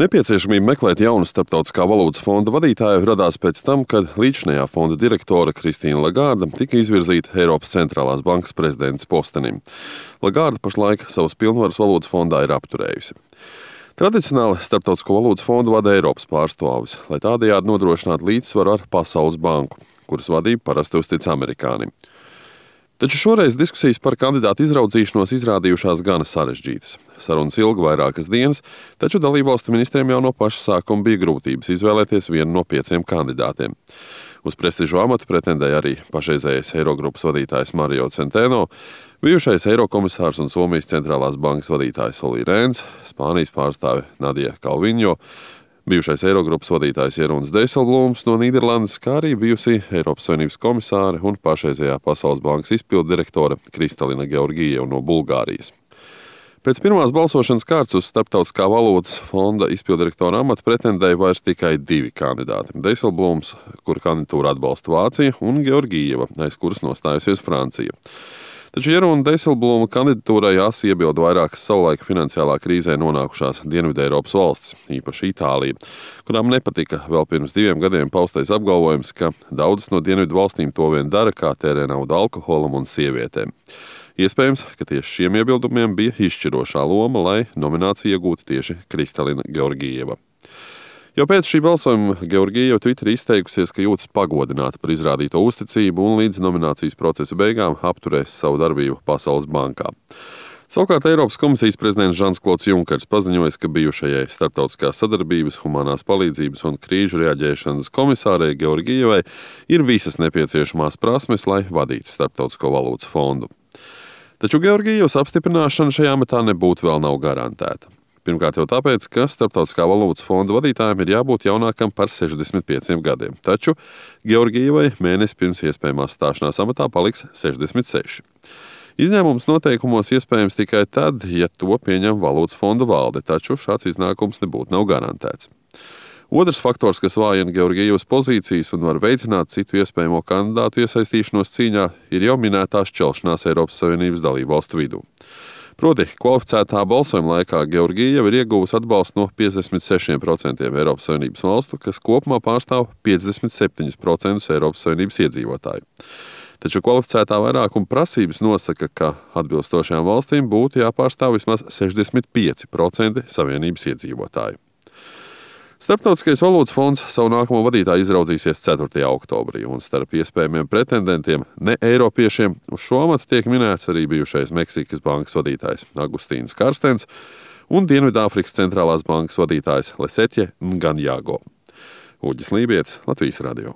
Nepieciešamība meklēt jaunu starptautiskā valūtas fonda vadītāju radās pēc tam, kad līdzinējā fonda direktore Kristīna Lagarde tika izvirzīta Eiropas centrālās bankas prezidentes postenim. Lagarde pašlaik savus pilnvarus valūtas fondā ir apturējusi. Tradicionāli Starptautisko valūtas fondu vada Eiropas pārstāvis, lai tādējādi nodrošinātu līdzsvaru ar Pasaules banku, kuras vadību parasti uztic amerikānim. Taču šoreiz diskusijas par kandidātu izraudzīšanos izrādījušās gana sarežģītas. Sarunas ilga vairākas dienas, taču dalībvalstu ministriem jau no paša sākuma bija grūtības izvēlēties vienu no 5 kandidātiem. Uz prestižu amatu pretendēja arī pašreizējais Eirogrupas vadītājs Mario Centeno, bijušais Eirokomisārs un Somijas centrālās bankas vadītājs Olli Rehns, Spānijas pārstāve Nadia Calviņo, bijušais Eirogrupas vadītājs Jeroens Dijsselbloems no Nīderlandes, kā arī bijusi Eiropas Savienības komisāre un pašreizējā Pasaules bankas izpilddirektore Kristalina Georgieva no Bulgārijas. Pēc pirmās balsošanas kārtas uz Starptautiskā valūtas fonda izpilddirektora amatu pretendēja vairs tikai 2 kandidāti - Dijsselbloems, kura kandidatūru atbalsta Vācija, un Georgieva, aiz kuras nostājusies Francija. Taču Jeroena Dijsselbloema kandidatūrai asi iebilda vairākas savulaik finansiālā krīzē nonākušās Dienvideiropas valstis, īpaši Itālija, kurām nepatika vēl pirms 2 gadiem paustais apgalvojums, ka daudzas no dienvidu valstīm to vien dara, kā tērē naudu alkoholam un sievietēm. Iespējams, ka tieši šiem iebildumiem bija izšķirošā loma, lai nomināciju iegūtu tieši Kristalina Georgieva. Jau pēc šī balsojuma Georgieva Twitterī izteikusies, ka jūtas pagodināta par izrādīto uzticību un līdz nominācijas procesa beigām apturēs savu darbību Pasaules bankā. Savukārt Eiropas komisijas prezidents Žans-Klods Junkers paziņoja, ka bijušajai starptautiskās sadarbības, humanās palīdzības un krīžu reaģēšanas komisārei Georgievai ir visas nepieciešamās prasmes, lai vadītu Starptautisko valūtas fondu. Taču Georgievas apstiprināšana šajā amatā nebūtu vēl nav garantēta. Pirmkārt jau tāpēc, ka Starptautiskā valūtas fonda vadītājiem ir jābūt jaunākam par 65 gadiem, taču Georgievai mēnesi pirms iespējamās stāšanās amatā paliks 66. Izņēmums noteikumos iespējams tikai tad, ja to pieņem valūtas fonda valde, taču šāds iznākums nebūtu nav garantēts. Otrs faktors, kas vājina Georgievas pozīcijas un var veicināt citu iespējamo kandidātu iesaistīšanos cīņā, ir jau minētā šķelšanās Eiropas Savienības dalībvalstu vidū. Proti, kvalificētā balsojuma laikā Georgieva ir ieguvusi atbalstu no 56% Eiropas Savienības valstu, kas kopumā pārstāv 57% Eiropas Savienības iedzīvotāju. Taču kvalificētā vairākuma prasības nosaka, ka atbilstošajām valstīm būtu jāpārstāv vismaz 65% Savienības iedzīvotāju. Starptautiskais valūtas fonds savu nākamo vadītāju izraudzīsies 4. oktobrī, un starp iespējamiem pretendentiem ne eiropiešiem uz šo amatu tiek minēts arī bijušais Meksikas bankas vadītājs Agustīns Karstens un Dienvidāfrikas centrālās bankas vadītājs Lesetja Nganjago. Uģis Lībietis, Latvijas radio.